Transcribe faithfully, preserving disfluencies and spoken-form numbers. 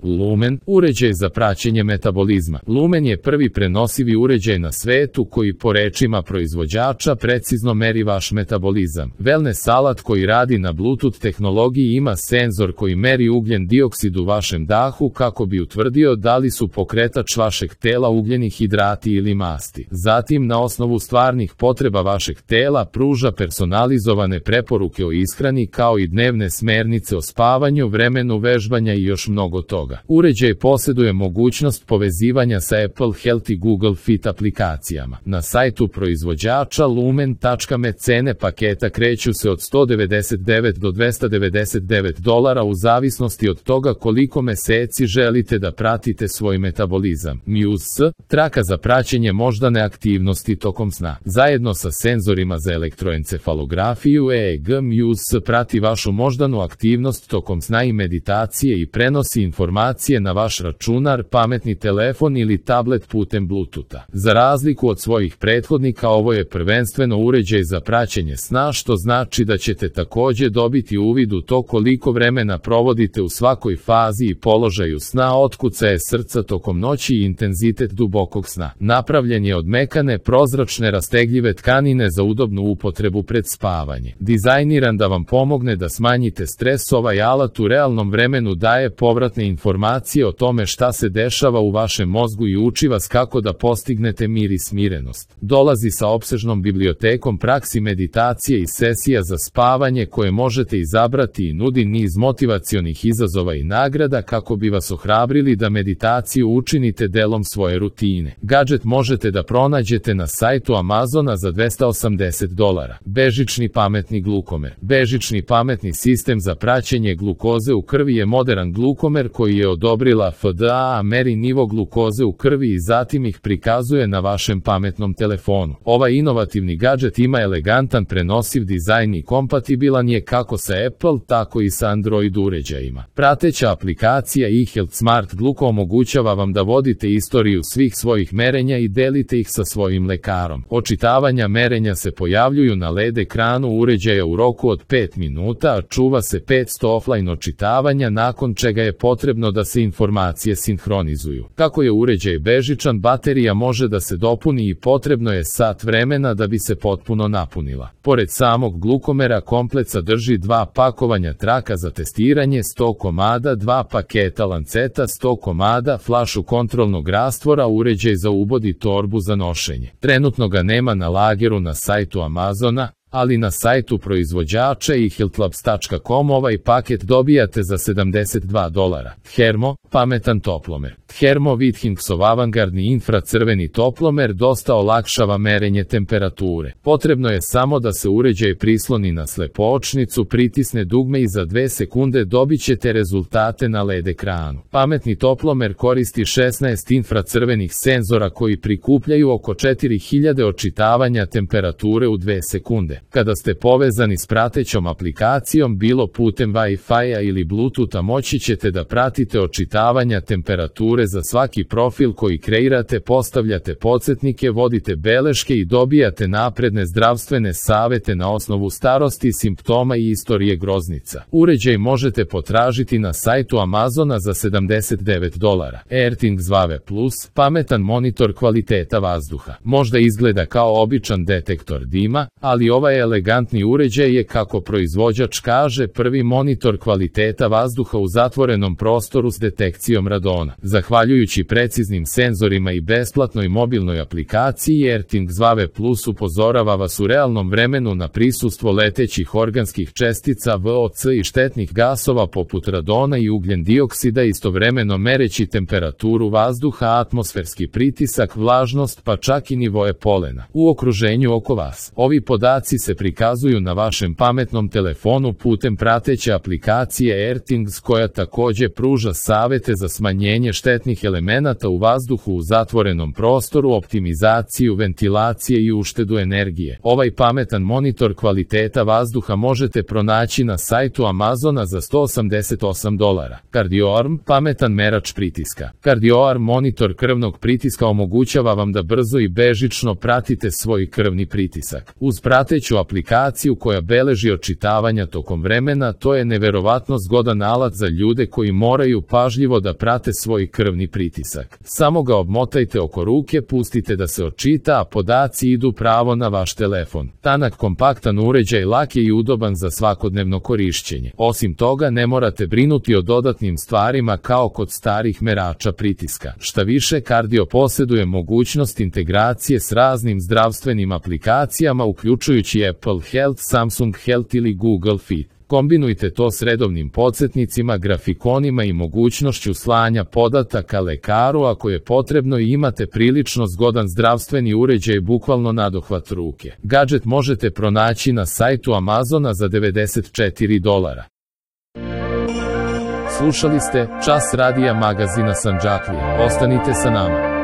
Lumen, uređaj za praćenje metabolizma. Lumen je prvi prenosivi uređaj na svetu koji po rečima proizvođača precizno meri vaš metabolizam. Wellness alat koji radi na Bluetooth tehnologiji ima senzor koji meri ugljen dioksid u vašem dahu kako bi utvrdio da li su pokretač vašeg tela ugljeni hidrati ili masti. Zatim, na osnovu stvarnih potreba vašeg tela pruža personalizovane preporuke o ishrani kao i dnevne smernice o spavanju, vremenu vežbanja i još mnogo toga. Uređaj posjeduje mogućnost povezivanja sa Apple Health i Google Fit aplikacijama. Na sajtu proizvođača lumen tačka me cene paketa kreću se od sto devedeset devet do dvesta devedeset devet dolara u zavisnosti od toga koliko meseci želite da pratite svoj metabolizam. Muse, traka za praćenje moždane aktivnosti tokom sna. Zajedno sa senzorima za elektroencefalografiju E E G, Muse prati vašu moždanu aktivnost tokom sna i meditacije i prenosi informacije na vaš računar, pametni telefon ili tablet putem Bluetootha. Za razliku od svojih prethodnika, ovo je prvenstveno uređaj za praćenje sna, što znači da ćete takođe dobiti uvid u to koliko vremena provodite u svakoj fazi i položaju sna, otkucaje srca tokom noći i intenzitet dubokog sna. Napravljen je od mekane, prozračne, rastegljive tkanine za udobnu upotrebu pred spavanje. Dizajniran da vam pomogne da smanjite stres, ovaj alat u realnom vremenu daje povratne informacije o tome šta se dešava u vašem mozgu i uči vas kako da postignete mir i smirenost. Dolazi sa opsežnom bibliotekom praksi meditacije i sesija za spavanje koje možete izabrati i nudi niz motivacionih izazova i nagrada kako bi vas ohrabrili da meditaciju učinite delom svoje rutine. Gadget možete da pronađete na sajtu Amazona za dvesta osamdeset dolara. Bežični pametni glukomer. Bežični pametni sistem za praćenje glukoze u krvi je moderan glukomer koji je odobrila F D A, meri nivo glukoze u krvi i zatim ih prikazuje na vašem pametnom telefonu. Ovaj inovativni gadget ima elegantan prenosiv dizajn i kompatibilan je kako sa Apple, tako i sa Android uređajima. Prateća aplikacija eHealth Smart Gluko omogućava vam da vodite istoriju svih svojih merenja i delite ih sa svojim lekarom. Očitavanja merenja se pojavljuju na L E D ekranu uređaja u roku od pet minuta, a čuva se petsto offline očitavanja, nakon čega je potrebno da se informacije sinhronizuju. Kako je uređaj bežičan, baterija može da se dopuni i potrebno je sat vremena da bi se potpuno napunila. Pored samog glukomera, komplet sadrži dva pakovanja traka za testiranje, sto komada, dva paketa lanceta, sto komada, flašu kontrolnog rastvora, uređaj za ubod i torbu za nošenje. Trenutno ga nema na lageru na sajtu Amazona, ali na sajtu proizvođača i healthlabs tačka com ovaj paket dobijate za sedamdeset dva dolara. Thermo, pametan toplomer. Thermo Withingsov avangardni infracrveni toplomer dosta olakšava merenje temperature. Potrebno je samo da se uređaj prisloni na slepočnicu, pritisne dugme i za dve sekunde dobit ćete rezultate na L E D ekranu. Pametni toplomer koristi šesnaest infracrvenih senzora koji prikupljaju oko četiri hiljade očitavanja temperature u dve sekunde. Kada ste povezani s pratećom aplikacijom, bilo putem Wi-Fi-a ili Bluetootha, moći ćete da pratite očitavanja temperature za svaki profil koji kreirate, postavljate podsjetnike, vodite beleške i dobijate napredne zdravsthene savete na osnovu starosti, simptoma i istorije groznica. Uređaj možete potražiti na sajtu Amazona za sedamdeset devet dolara. AirThings Vave Plus, pametan monitor kvaliteta vazduha. Možda izgleda kao običan detektor dima, ali ovaj elegantni uređaj je, kako proizvođač kaže, prvi monitor kvaliteta vazduha u zatvorenom prostoru s detekcijom radona. Zahvaljujući preciznim senzorima i besplatnoj mobilnoj aplikaciji, AirThings Vave Plus upozorava vas u realnom vremenu na prisustvo letećih organskih čestica V O C i štetnih gasova poput radona i ugljen dioksida, istovremeno mereći temperaturu vazduha, atmosferski pritisak, vlažnost, pa čak i nivoe polena u okruženju oko vas. Ovi podaci se prikazuju na vašem pametnom telefonu putem prateće aplikacije AirThings, koja takođe pruža savete za smanjenje štete štetnih elemenata u vazduhu u zatvorenom prostoru, optimizaciju ventilacije i uštedu energije. Ovaj pametan monitor kvaliteta vazduha možete pronaći na sajtu Amazona za sto osamdeset osam dolara. CardioArm, pametan merač pritiska. CardioArm monitor krvnog pritiska omogućava vam da brzo i bežično pratite svoj krvni pritisak. Uz prateću aplikaciju koja beleži očitavanja tokom vremena, to je neverovatno zgodan alat za ljude koji moraju pažljivo da prate svoj krvni pritisak. Samo ga obmotajte oko ruke, pustite da se očita, a podaci idu pravo na vaš telefon. Tanak, kompaktan uređaj, lak je i udoban za svakodnevno korišćenje. Osim toga, ne morate brinuti o dodatnim stvarima kao kod starih merača pritiska. Šta više, Kardio posjeduje mogućnost integracije s raznim zdravstvenim aplikacijama, uključujući Apple Health, Samsung Health ili Google Fit. Kombinujte to s redovnim podsjetnicima, grafikonima i mogućnošću slanja podataka lekaru ako je potrebno i imate prilično zgodan zdravstveni uređaj bukvalno nadohvat ruke. Gadget možete pronaći na sajtu Amazona za devedeset četiri dolara. Slušali ste Čas radija magazina Sandžaklija. Ostanite sa nama.